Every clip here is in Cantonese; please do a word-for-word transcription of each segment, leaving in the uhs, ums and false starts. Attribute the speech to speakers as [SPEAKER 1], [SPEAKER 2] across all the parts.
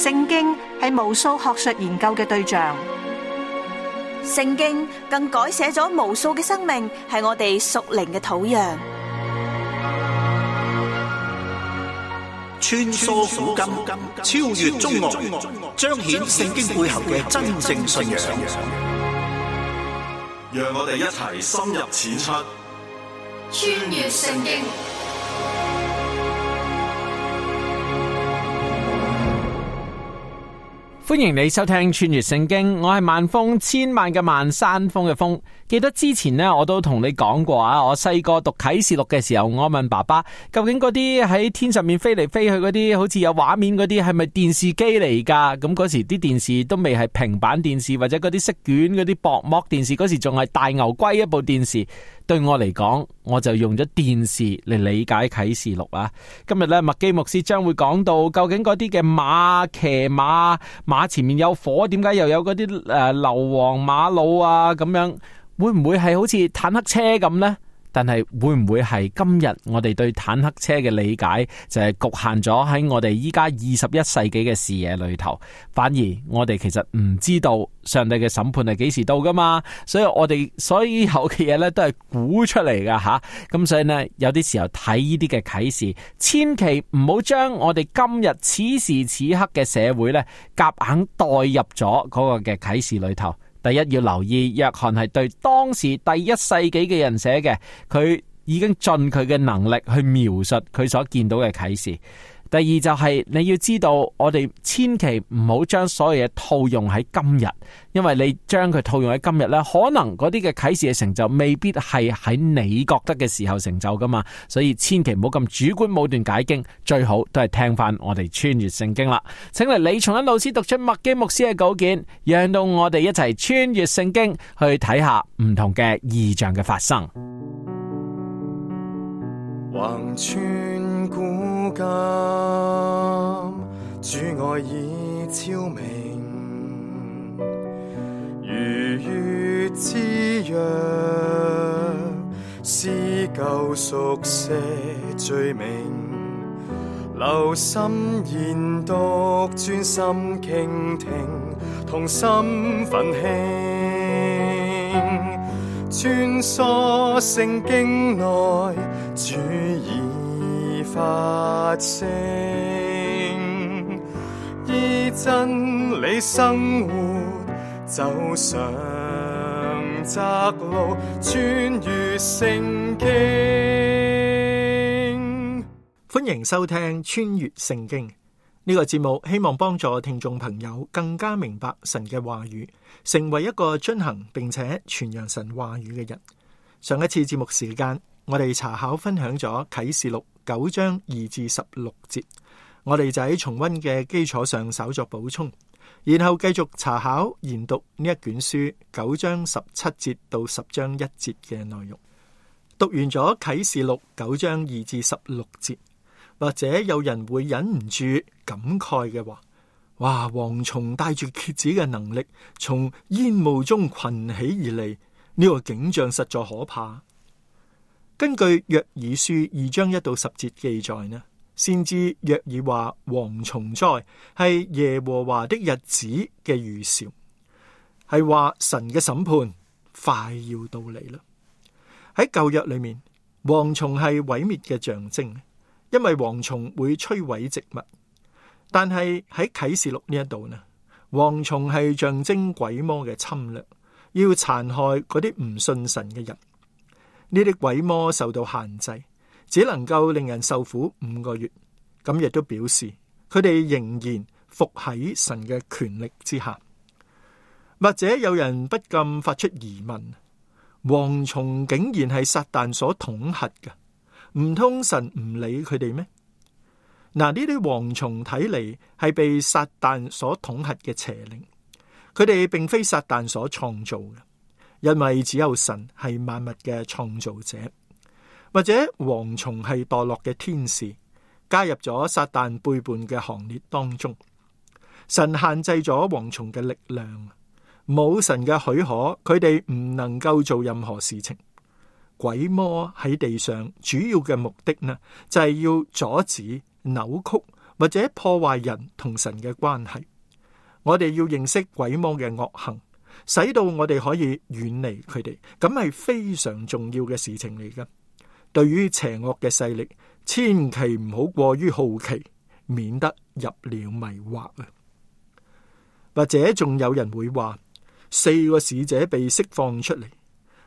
[SPEAKER 1] 聖經係無數學術研究嘅對象，
[SPEAKER 2] 聖經更改寫咗無數嘅生命，係我哋屬靈嘅土壤。
[SPEAKER 3] 穿梭古今，超越中外，彰顯聖經背後嘅真正信仰。
[SPEAKER 4] 讓我哋一齊深入淺出，
[SPEAKER 5] 穿越聖經。
[SPEAKER 6] 歡迎你收聽穿越聖經，我係萬峰，千萬嘅萬，山峰嘅峰。記得之前呢，我都同你講過啊，我細個讀啟示錄嘅時候，我問爸爸，究竟嗰啲喺天上面飛嚟飛去嗰啲，好似有畫面嗰啲，係咪電視機嚟噶？咁嗰時啲電視都未係平板電視或者嗰啲色卷嗰啲薄膜電視，嗰時仲係大牛龜一部電視。對我嚟講，我就用咗電視嚟理解啟示錄啊。今日咧，麥基牧師將會講到究竟嗰啲嘅馬騎馬，馬前面有火，點解又有嗰啲誒硫磺馬路啊？咁樣會唔會係好似坦克車咁呢？但係會唔會係今日我哋對坦克車嘅理解就係局限咗喺我哋依家二十一世紀嘅視野裏頭？反而我哋其實唔知道上帝嘅審判係幾時到噶嘛？所以我哋所有嘅嘢咧都係估出嚟噶吓。咁所以呢，有啲時候睇呢啲嘅啟示，千祈唔好將我哋今日此時此刻嘅社會咧夾硬代入咗嗰個嘅啟示裏頭。第一，要留意約翰係對當時第一世紀嘅人寫嘅，佢已經盡佢嘅能力去描述佢所見到嘅啟示。第二就係你要知道，我哋千祈唔好將所有嘢套用喺今日，因為你將佢套用喺今日呢，可能嗰啲嘅啟示嘅成就未必係喺你覺得嘅時候成就噶嘛，所以千祈唔好咁主觀武斷解經，最好都係聽翻我哋穿越聖經啦。請嚟李松恩老師讀出麥基牧師嘅稿件，讓到我哋一齊穿越聖經去睇下唔同嘅異象嘅發生。
[SPEAKER 7] 橫穿古今，主愛已超明，如月之約，撕舊熟寫罪名，留心研讀，專心傾聽，同心奮興，穿梭聖經內，主已發聲，依真理生活，走上窄路，穿越聖經。
[SPEAKER 8] 歡迎收聽穿越聖經呢個節目，希望幫助聽眾朋友更加明白神嘅話語，成為一個遵行並且傳揚神話語嘅人。上一次節目時間，我哋查考分享咗啟示錄九章二至十六節，我哋就喺重溫嘅基礎上稍作補充，然後繼續查考研讀呢一卷書九章十七節到十章一節嘅內容。讀完咗啟示錄九章二至十六節，或者有人會忍唔住感慨嘅話：哇！蝗蟲帶住蠍子嘅能力從煙霧中群起而嚟，呢個景象實在可怕。根據約珥書二章一到十節記載呢，先知約珥話蝗蟲災係耶和華的日子嘅預兆，係話神嘅審判快要到嚟啦。喺舊約裏面，蝗蟲係毀滅嘅象徵，因為蝗蟲會摧毀植物。但係喺啟示錄呢一度呢，蝗蟲係象徵鬼魔嘅侵略，要殘害嗰啲唔信神嘅人。呢啲鬼魔受到限制，只能夠令人受苦五個月。咁亦都表示佢哋仍然服喺神嘅權力之下。或者有人不禁發出疑問：蝗蟲竟然係撒旦所統轄嘅，唔通神唔理佢哋咩？嗱，呢啲蝗蟲睇嚟係被撒旦所統轄嘅邪靈，佢哋並非撒旦所創造嘅。因為只有神係萬物嘅創造者，或者蝗蟲係墮落嘅天使，加入咗撒旦背叛嘅行列當中。神限制咗蝗蟲嘅力量，冇神嘅許可，佢哋唔能夠做任何事情。鬼魔喺地上主要嘅目的呢，就係要阻止、扭曲或者破壞人同神嘅關係。我哋要認識鬼魔嘅惡行，使到我哋可以遠離佢哋，咁係非常重要嘅事情嚟㗎。對於邪惡嘅勢力，千祈唔好過於好奇，免得入了迷惑啊！或者仲有人會話，四個使者被釋放出嚟，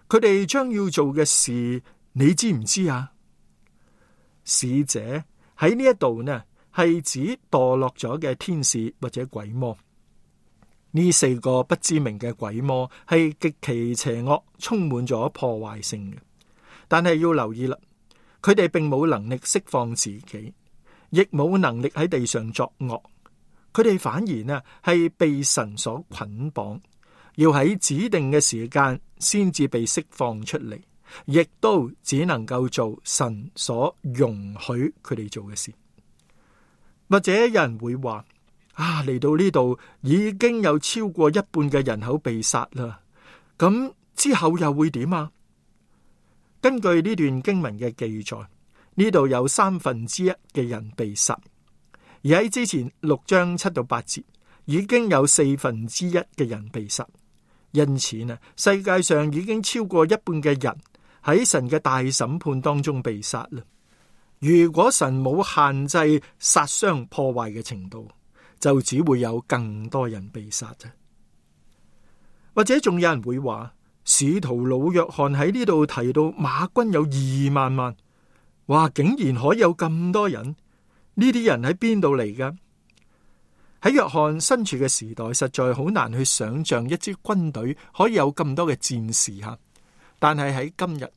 [SPEAKER 8] 佢哋將要做嘅事，你知唔知啊？使者喺呢一度呢，係指墮落咗嘅天使或者鬼魔。呢四個不知名嘅鬼魔係極其邪惡，充滿咗破壞性嘅。但係要留意啦，佢哋並冇能力釋放自己，亦冇能力喺地上作惡。佢哋反而呢係被神所捆綁，要喺指定嘅時間先至被釋放出嚟，亦都只能夠做神所容許佢哋做嘅事。或者有人會話，啊，嚟到呢度已經有超過一半嘅人口被殺啦，咁之後又會點啊？根據呢段經文嘅記載，呢度有三分之一嘅人被殺，而喺之前六章七到八節已經有四分之一嘅人被殺，因此呢，世界上已經超過一半嘅人喺神嘅大審判當中被殺啦。如果神冇限制殺傷破壞嘅程度，就只會有更多人被殺啫。或者仲有人會話，使徒老約翰喺呢度提到馬軍有二萬萬，哇，竟然可以有咁多人，呢啲人喺邊度嚟噶？喺約翰身處嘅時代，實在好難去想象一支軍隊可以有咁多嘅戰士吓。但係喺今日，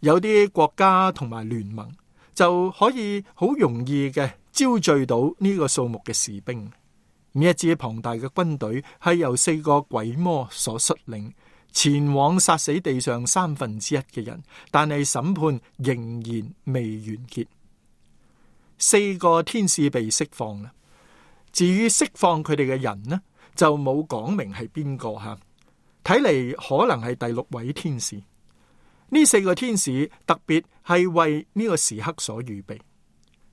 [SPEAKER 8] 有啲國家同埋聯盟就可以好容易嘅招聚到呢個數目嘅士兵。呢一支龐大嘅軍隊係由四個鬼魔所率領，前往殺死地上三分之一嘅人，但係審判仍然未完結。四個天使被釋放啦，至於釋放佢哋嘅人呢，就冇講明係邊個吓，睇嚟可能係第六位天使。呢四個天使特別係為呢個時刻所預備，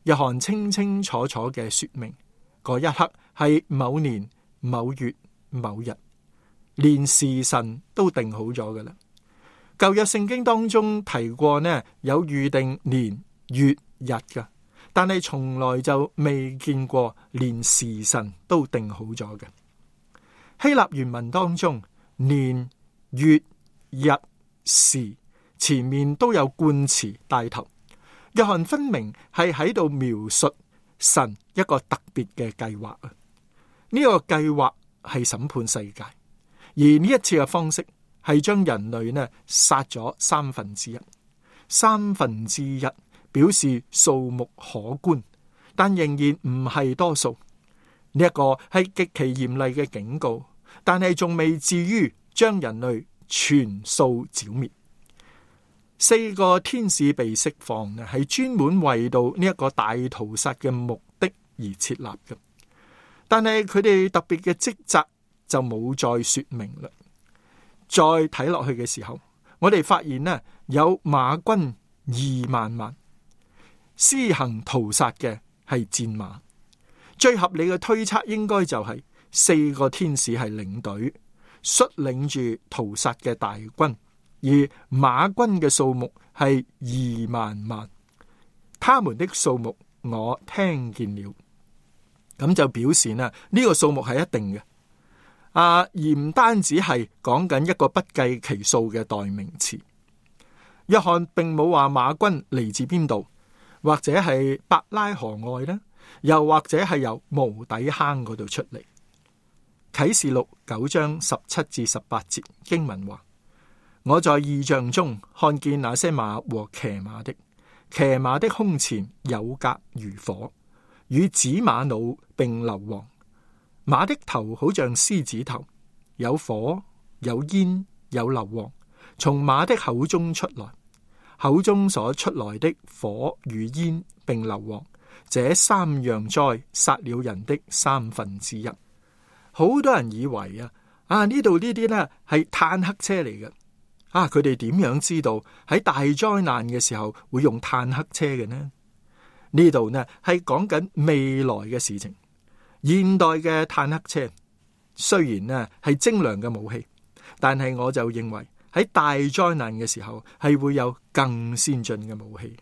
[SPEAKER 8] 約翰清清楚楚嘅說明，嗰一刻係某年某月某日，連時辰都定好咗㗎喇。舊約聖經當中提過呢，有預定年月日㗎，但係從來就未見過連時辰都定好咗嘅。希臘原文當中，年月日時前面都有冠詞帶頭，約翰分明係喺度描述神一個特別嘅計劃啊！呢個計劃係審判世界，而呢一次嘅方式係將人類呢殺咗三分之一，三分之一表示數目可觀，但仍然唔係多數。呢一個係極其嚴厲嘅警告，但係仲未至於將人類全數剿滅。四個天使被釋放呢，係專門為到呢一個大屠殺嘅目的而設立嘅。但係佢哋特別嘅職責就冇再說明啦。再睇落去嘅時候，我哋發現呢，有馬軍二萬萬，施行屠殺嘅係戰馬。最合理嘅推測應該就係四個天使係領隊，率領住屠殺嘅大軍。而馬軍嘅數目係二萬萬，他們的數目我聽見了，咁就表示呢，呢個數目係一定嘅，啊，而唔單止係講緊一個不計其數嘅代名詞。約翰並冇話馬軍嚟自邊度，或者係伯拉河外呢，又或者係由無底坑嗰度出嚟。啟示錄九章十七至十八節經文話：我在異象中看見那些馬和騎馬的，騎馬的胸前有甲如火，與紫瑪瑙並硫磺，馬的頭好像獅子頭，有火有煙有硫磺，從馬的口中出來，口中所出來的火與煙並硫磺，這三樣災殺了人的三分之一。好多人以為啊，啊呢度呢啲呢係坦克車嚟嘅。啊！佢哋點樣知道喺大災難嘅時候會用坦克車嘅呢？呢度呢係講緊未來嘅事情。現代嘅坦克車雖然呢係精良嘅武器，但係我就認為喺大災難嘅時候係會有更先進嘅武器。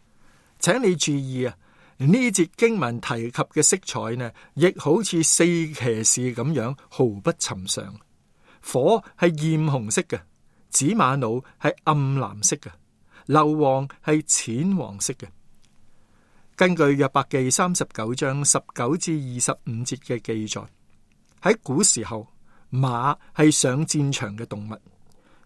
[SPEAKER 8] 請你注意啊，呢節經文提及嘅色彩呢，亦好似四騎士咁樣毫不尋常。火係艷紅色嘅，紫瑪瑙係暗藍色嘅，硫磺係淺黃色嘅。根據約伯記三十九章十九至二十五節嘅記載，喺古時候馬係上戰場嘅動物，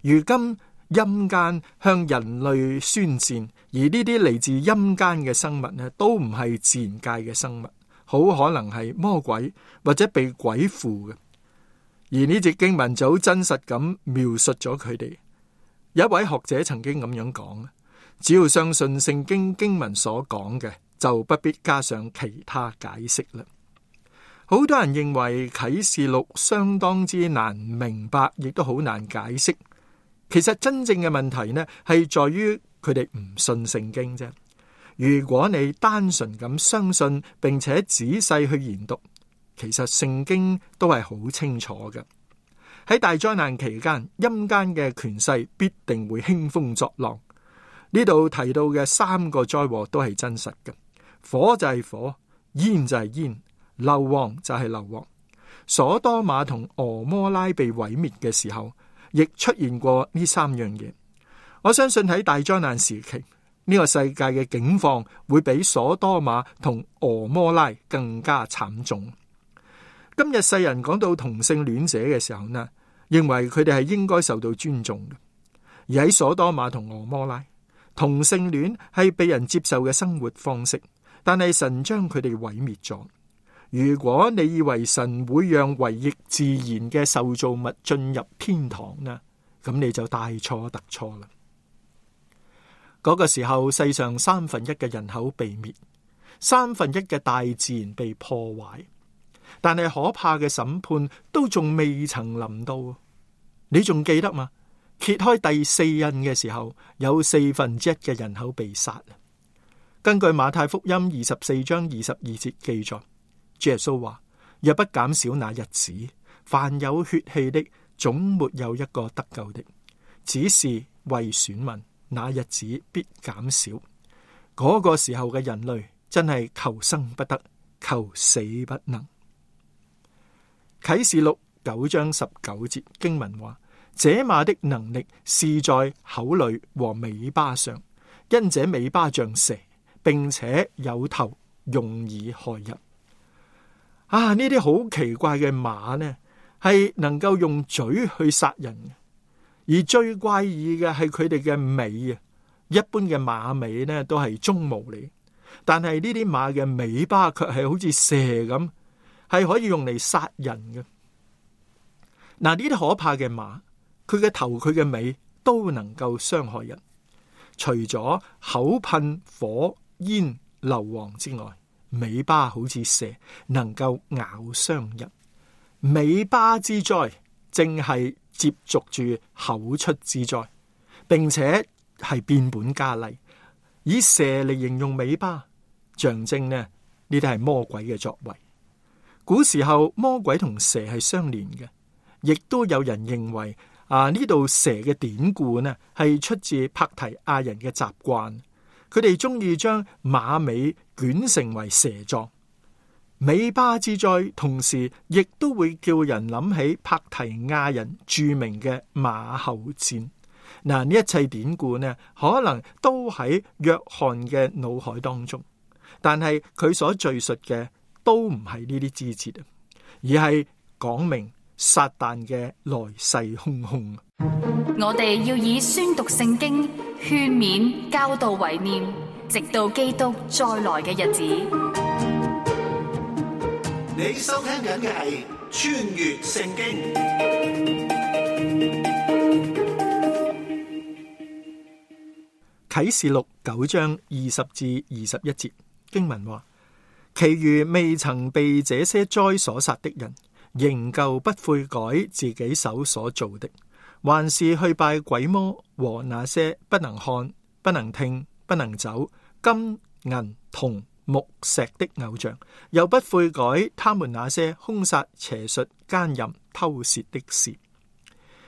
[SPEAKER 8] 如今陰間向人類宣戰，而呢啲嚟自陰間嘅生物呢，都唔係自然界嘅生物，好可能係魔鬼或者被鬼附嘅。而呢節經文就好真實咁描述咗佢哋。有一位學者曾經咁樣講，只要相信聖經經文所講嘅，就不必加上其他解釋啦。好多人認為啟示錄相當之難明白，亦都好難解釋。其實真正嘅問題呢，係在於佢哋唔信聖經啫。如果你單純咁相信，並且仔細去研讀，其實聖經都係好清楚嘅。喺大災難期間，陰間嘅權勢必定會興風作浪。呢度提到嘅三個災禍都係真實嘅。火就係火，煙就係煙，硫磺就係硫磺。所多瑪同俄摩拉被毀滅嘅時候，亦出現過呢三樣嘢。我相信喺大災難時期，呢個世界嘅境況會比所多瑪同俄摩拉更加慘重。今日世人講到同性戀者嘅時候呢，認為佢哋係應該受到尊重嘅。而喺所多瑪同俄摩拉，同性戀係被人接受嘅生活方式。但係神將佢哋毀滅咗。如果你以為神會讓違逆自然嘅受造物進入天堂呢，咁你就大錯特錯啦。嗰個時候，世上三分一嘅人口被滅，三分一嘅大自然被破壞，但係可怕嘅審判都仲未曾臨到。你仲記得嗎？揭開第四印嘅時候，有四分之一嘅人口被殺。根據馬太福音二十四章二十二節記載，主耶穌話：若不減少那日子，凡有血氣的，總沒有一個得救的。只是為選民，那日子必減少。嗰、那個時候嘅人類真係求生不得，求死不能。啟示錄九章十九節經文話：這馬的能力是在口裏和尾巴上，因這尾巴像蛇，並且有頭，用以害人。啊！呢啲好奇怪嘅馬呢，係能夠用嘴去殺人嘅，而最怪異嘅係佢哋嘅尾啊！一般嘅馬尾呢都係鬃毛嚟，但係呢啲馬嘅尾巴卻係好似蛇咁，係可以用嚟殺人嘅。嗱，呢啲可怕嘅馬，佢嘅頭、佢嘅尾都能夠傷害人，除咗口噴火煙硫磺之外，尾巴好似蛇，能夠咬傷人。尾巴之災正係接續住口出之災，並且係變本加厲，以蛇嚟形容尾巴，象徵呢呢啲係魔鬼嘅作為。古時候魔鬼同蛇係相連嘅，亦都有人認為啊，呢度蛇嘅典故呢係出自帕提亞人嘅習慣。佢哋中意將馬尾捲成為蛇狀，尾巴之災，同時亦都會叫人諗起帕提亞人著名嘅馬後戰。嗱，呢一切典故呢，可能都喺約翰嘅腦海當中，但係佢所敘述嘅都唔係呢啲枝節啊，而係講明撒旦嘅來勢洶洶。
[SPEAKER 5] 我哋要以宣讀聖經、勸勉、教導為念，直到基督再來嘅日子。
[SPEAKER 3] 你收聽緊嘅係穿越聖經。
[SPEAKER 8] 啟示錄九章二十至二十一節經文話：其餘未曾被這些災所殺的人，仍舊不悔改自己手所做的，還是去拜鬼魔和那些不能看、不能聽、不能走、金銀銅木石的偶像，又不悔改他們那些兇殺、邪術、奸淫、偷竊的事，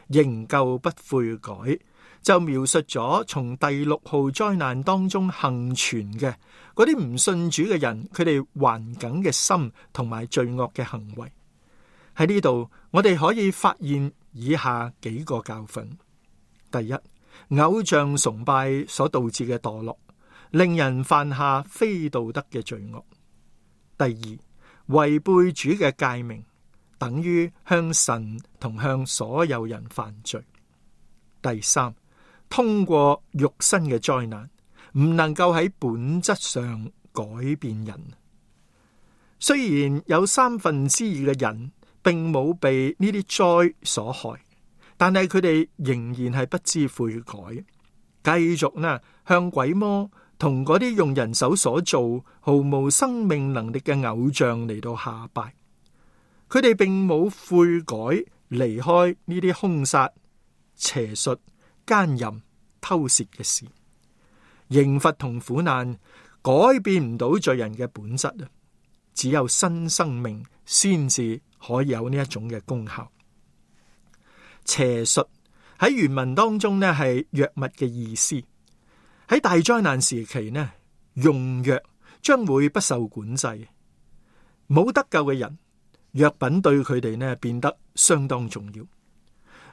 [SPEAKER 8] 仍舊不悔改，就描述咗從第六號災難當中幸存嘅嗰啲唔信主嘅人，佢哋頑梗嘅心同埋罪惡嘅行為。喺呢度，我哋可以發現以下幾個教訓：第一，偶像崇拜所導致嘅墮落，令人犯下非道德嘅罪惡；第二，違背主嘅誡命，等於向神同向所有人犯罪；第三，通過肉身嘅災難，唔能夠喺本質上改變人。雖然有三分之二嘅人並冇被呢啲災所害，但係佢哋仍然係不知悔改，繼續呢向鬼魔同嗰啲用人手所做毫無生命能力嘅偶像嚟到下拜。佢哋並冇悔改，離開呢啲兇殺、邪術、奸淫、偷竊嘅事。刑罰同苦難改變唔到罪人嘅本質啊！只有新生命先至可以有呢一種嘅功效。邪術喺原文當中呢係藥物嘅意思。喺大災難時期呢，用藥將會不受管制。冇得救嘅人，藥品對佢哋呢變得相當重要。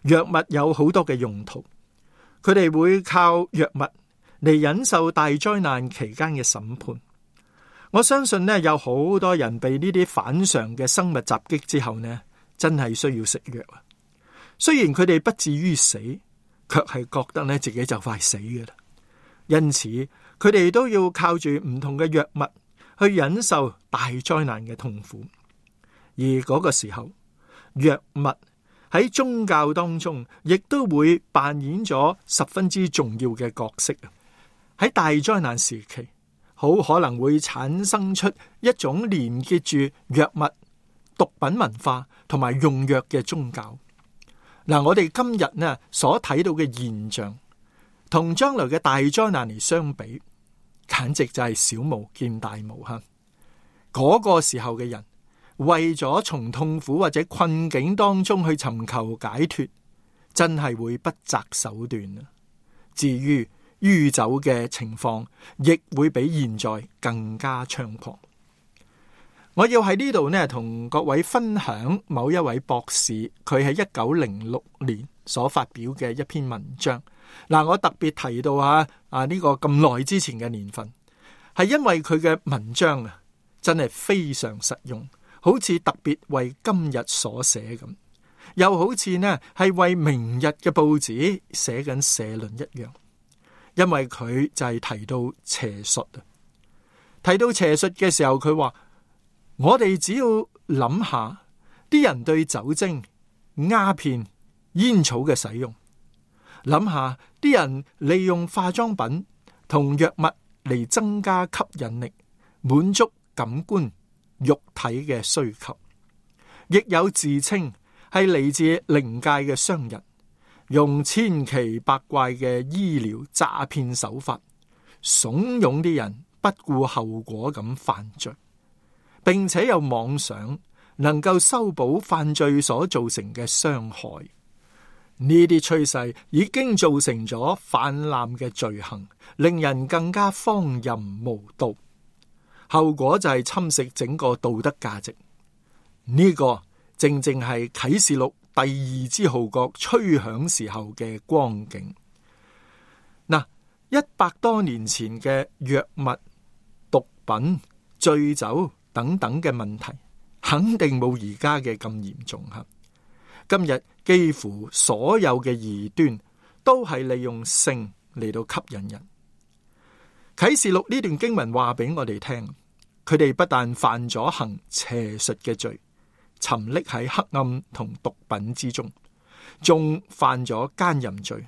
[SPEAKER 8] 藥物有好多嘅用途，佢哋會靠藥物嚟忍受大災難期間嘅審判。我相信呢，有好多人被呢啲反常嘅生物襲擊之後呢，真係需要食藥啊。雖然佢哋不至於死，卻係覺得呢自己就快死嘅啦。因此，佢哋都要靠住唔同嘅藥物去忍受大災難嘅痛苦。而嗰個時候，藥物喺宗教當中亦都會扮演咗十分之重要嘅角色。喺大災難時期，好可能會產生出一種連結住藥物、毒品文化同埋用藥嘅宗教。嗱，我哋今日呢所睇到嘅現象，同將來嘅大災難嚟相比，簡直就係小巫見大巫吓。嗰個時候嘅人，為咗從痛苦或者困境當中去尋求解脫，真係會不擇手段啊！至於酗酒嘅情況，亦會比現在更加猖狂。我要喺呢度呢，同各位分享某一位博士，佢喺一九零六年所發表嘅一篇文章。嗱，我特別提到啊啊呢個咁耐之前嘅年份，係因為佢嘅文章啊，真係非常實用，好似特別為今日所寫咁，又好似呢係為明日嘅報紙寫緊社論一樣。因為佢就係提到邪術啊，提到邪術嘅時候，佢話我哋只要諗下啲人對酒精、鴉片、煙草嘅使用，諗下啲人利用化妝品同藥物嚟增加吸引力，滿足感官、肉體嘅需求，亦有自稱係嚟自靈界嘅商人，用千奇百怪嘅醫療詐騙手法，慫恿啲人不顧後果咁犯罪，並且有妄想能夠修補犯罪所造成嘅傷害。呢啲趨勢已經造成咗泛濫嘅罪行，令人更加荒淫無道，後果就係侵蝕整個道德價值。呢、這個正正係啟示錄第二支號角吹響時候嘅光景。嗱，一百多年前嘅藥物、毒品、醉酒等等嘅問題，肯定冇而家嘅咁嚴重吓。今日幾乎所有嘅異端都係利用性嚟到吸引人。啟示錄呢段經文話俾我哋聽，佢哋不但犯咗行邪術嘅罪，沉溺喺黑暗同毒品之中，仲犯咗奸淫罪，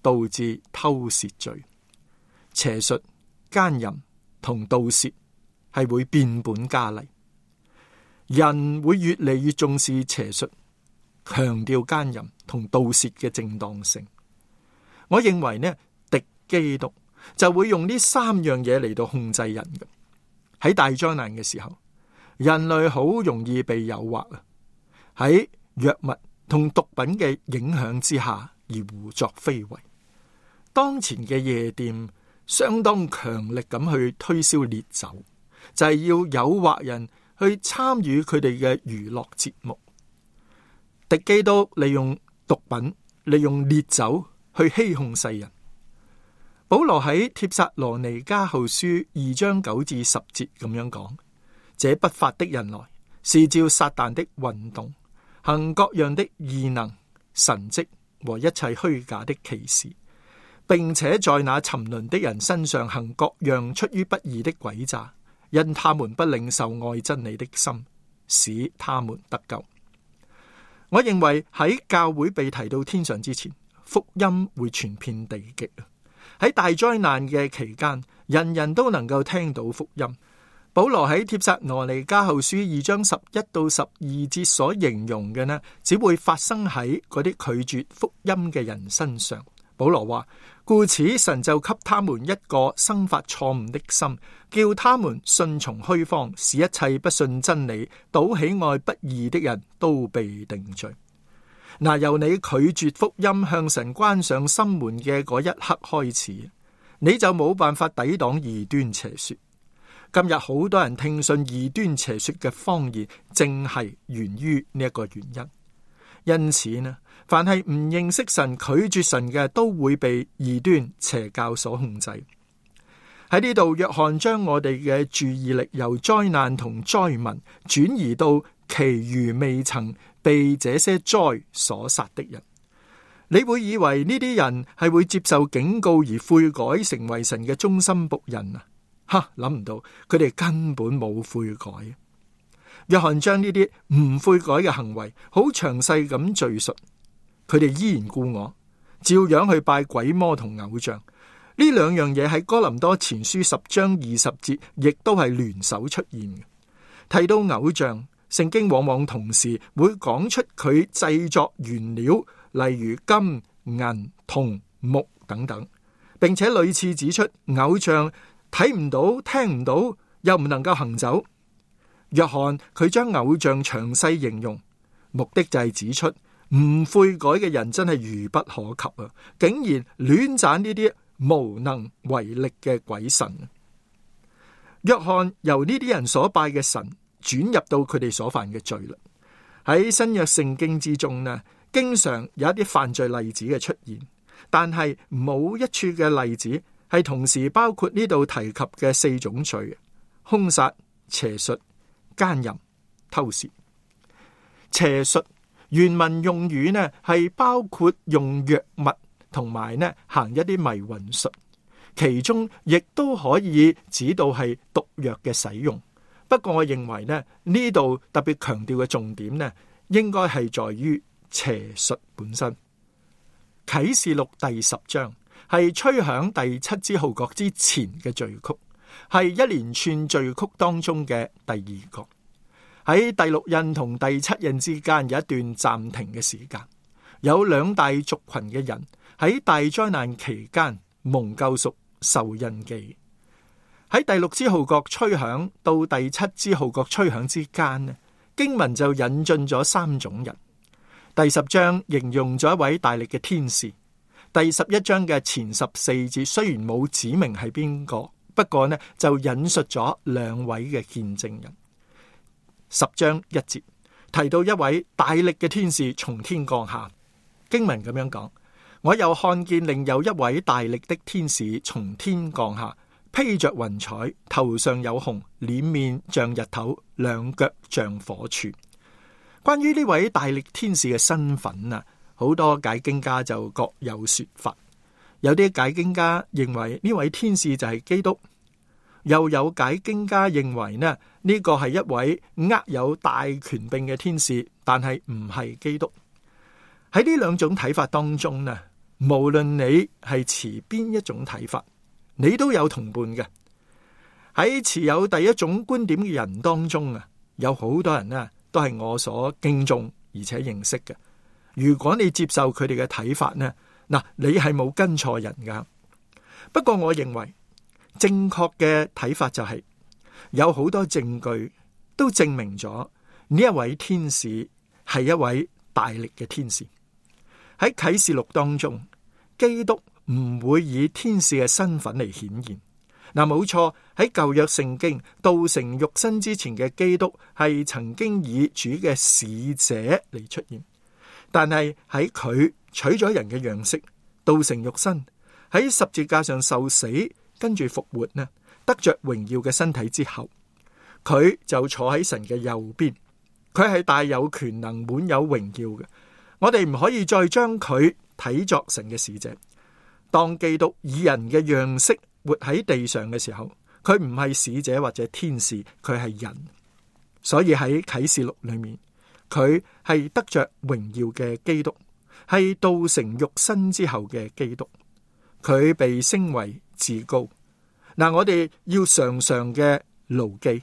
[SPEAKER 8] 導致偷竊罪。邪術、奸淫同盜竊係會變本加厲，人會越嚟越重視邪術，強調奸淫同盜竊嘅正當性。我認為呢，敵基督就會用呢三樣嘢嚟到控制人嘅。喺大災難嘅時候，人類好容易被誘惑啊，喺藥物同毒品嘅影響之下而胡作非為。當前嘅夜店相當強力咁去推銷烈酒，就係要誘惑人去參與佢哋嘅娛樂節目。敵基督利用毒品、利用烈酒去欺哄世人。保羅喺帖撒羅尼迦後書二章九至十節咁樣講：這不法的人來，是照撒旦的運動，行各樣的異能、神蹟和一切虛假的奇事，並且在那沉淪的人身上行各樣出於不義的詭詐，因他們不領受愛真理的心，使他們得救。我認為喺教會被提到天上之前，福音會傳遍地極。喺大災難嘅期間，人人都能夠聽到福音。保羅喺帖撒羅尼迦後書二章十一到十二節所形容嘅呢，只會發生喺嗰啲拒絕福音嘅人身上。保羅話：故此神就給他們一個生發錯誤的心，叫他們順從虛謊，使一切不信真理、倒喜愛不義的人都被定罪。嗱，由你拒絕福音向神關上心門嘅嗰一刻開始，你就冇辦法抵擋異端邪說。今日好多人聽信異端邪說嘅謊言，正係源於呢一個原因。因此呢，凡係唔認識神、拒絕神嘅，都會被異端邪教所控制。喺呢度，約翰將我哋嘅注意力由災難同災民轉移到其餘未曾被這些災所殺的人。你會以為呢啲人係會接受警告而悔改，成為神嘅忠心僕人啊？哈，諗唔到佢哋根本冇悔改。約翰將呢啲唔悔改嘅行為好詳細咁敘述，佢哋依然故我，照樣去拜鬼魔同偶像。呢兩樣嘢喺哥林多前書十章二十節亦都係聯手出現嘅。提到偶像，聖經往往同時會講出佢製作原料，例如金、銀、銅、木等等，並且屢次指出偶像睇唔到、聽唔到，又唔能夠行走。約翰佢將偶像詳細形容，目的就係指出唔悔改嘅人真係愚不可及啊！竟然亂讚呢啲無能為力嘅鬼神。約翰由呢啲人所拜嘅神轉入到佢哋所犯嘅罪啦。喺新約聖經之中呢，經常有一啲犯罪例子嘅出現，但係冇一處嘅例子係同時包括呢度提及嘅四種罪：兇殺、邪術、奸淫、偷竊。邪術原文用語呢係包括用藥物同埋呢行一啲迷魂術，其中亦都可以指到係毒藥嘅使用。不過我認為呢呢度特別強調嘅重點呢，應該係在於邪術本身。啟示錄第十章係吹響第七支號角之前嘅序曲，係一連串序曲當中嘅第二個。喺第六印同第七印之間有一段暫停嘅時間，有兩大族群嘅人喺大災難期間蒙救贖受印記。喺第六支號角吹響到第七支號角吹響之間呢，經文就引進咗三種人。第十章形容咗一位大力嘅天使。第十一章嘅前十四節雖然冇指明係邊個，不過呢就引述咗兩位嘅見證人。十章一節提到一位大力嘅天使從天降下，經文咁樣講：我又看見另有一位大力的天使從天降下，披着雲彩，頭上有紅，臉面像日頭，兩腳像火柱。關於呢位大力天使嘅身份啊，好多解經家就各有說法。有啲解經家認為呢位天使就係基督，又有解經家認為呢呢個係一位握有大權柄嘅天使，但係唔係基督。喺呢兩種睇法當中呢，無論你係持邊一種睇法，你都有同伴嘅。喺持有第一種觀點嘅人當中啊，有好多人呢都係我所敬重而且認識嘅。如果你接受佢哋嘅睇法呢，嗱，你係冇跟錯人噶。不過我認為正確嘅睇法就係有好多證據都證明咗呢一位天使係一位大力嘅天使。喺啟示錄當中，基督唔會以天使嘅身份嚟顯現。嗱，冇錯，喺舊約聖經道成肉身之前嘅基督係曾經以主嘅使者嚟出現，但係喺佢取咗人嘅樣式，道成肉身，喺十字架上受死，跟住復活呢，得着榮耀嘅身體之後，佢就坐喺神嘅右邊，佢係大有權能、滿有榮耀嘅。我哋唔可以再將佢睇作神嘅使者。當基督以人嘅樣式活喺地上嘅時候，佢唔係使者或者天使，佢係人。所以喺啟示錄裏面，佢係得着榮耀嘅基督，係道成肉身之後嘅基督。佢被升為至高。嗱，我哋要常常嘅牢記，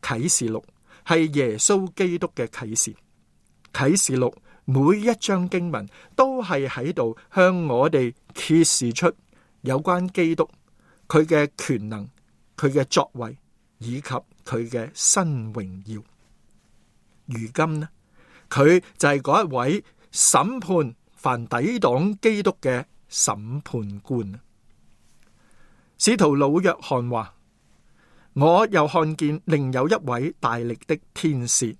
[SPEAKER 8] 啟示錄係耶穌基督嘅啟示。啟示錄每一章經文都係喺度向我哋揭示出有關基督佢嘅權能、佢嘅作為以及佢嘅新榮耀。如今呢，佢就係嗰一位審判凡抵擋基督嘅審判官。使徒老約翰話：我又看見另有一位大力的天使。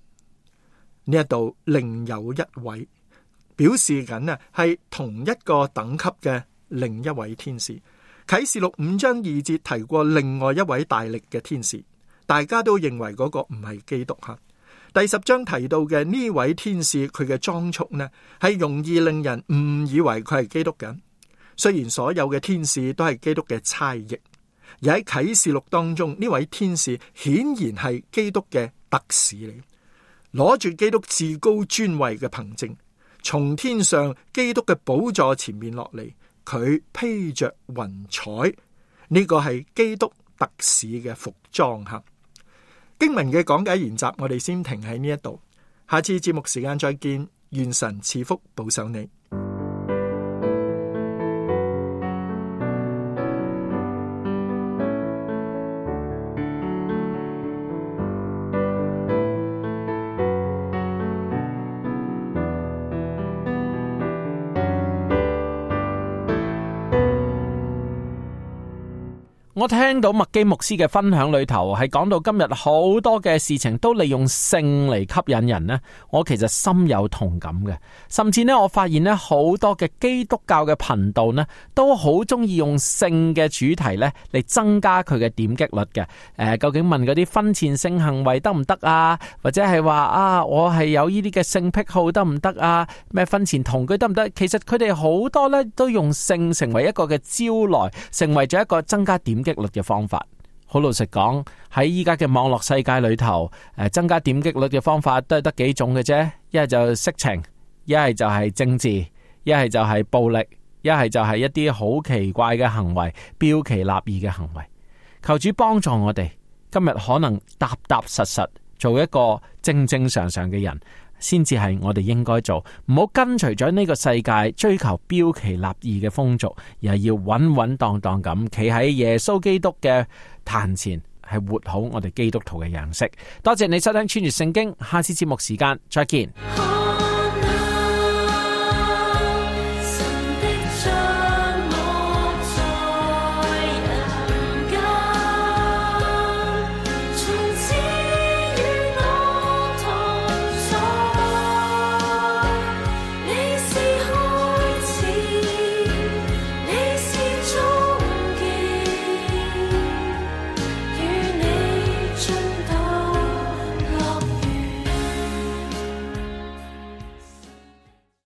[SPEAKER 8] 呢一度另有一位，表示緊啊係同一個等級嘅另一位天使。啟示錄五章二節提過另外一位大力嘅天使，大家都認為嗰個唔係基督吓。第十章提到嘅呢位天使，佢嘅裝束呢係容易令人誤以為佢係基督嘅。雖然所有嘅天使都係基督嘅差役，而喺啟示錄當中，呢位天使顯然係基督嘅特使嚟，攞住基督至高尊位嘅憑證，從天上基督嘅寶座前面落嚟，佢披着雲彩，呢個係基督特使嘅服裝吓。經文嘅講解研習，我哋先停喺呢一度，下次節目時間再見，願神賜福保守你。
[SPEAKER 6] 我聽到麥基牧師嘅分享裏頭係講到今日好多嘅事情都利用性嚟吸引人呢，我其實深有同感嘅。甚至呢，我發現呢好多嘅基督教嘅頻道呢都好中意用性嘅主題呢嚟增加佢嘅點擊率嘅。誒、呃，究竟問嗰啲婚前性行為得唔得啊？或者係話啊，我係有呢啲嘅性癖好得唔得啊？咩婚前同居得唔得？其實佢哋好多呢都用性成為一個嘅招來，成為咗一個增加點擊率嘅方法。好老實講，喺依家嘅網絡世界裏頭，誒，增加點擊率嘅方法都係得幾種嘅啫。一係就色情，一係就係政治，一係就係暴力，一係就係一啲好奇怪嘅行為，標奇立異嘅行為。求主幫助我哋，今日可能踏踏實實做一個正正常常嘅人，先至係我哋應該做，唔好跟隨咗呢個世界追求標奇立異嘅風俗，而係要穩穩當當咁企喺耶穌基督嘅壇前，係活好我哋基督徒嘅樣式。多謝你收聽穿越聖經，下次節目時間再見。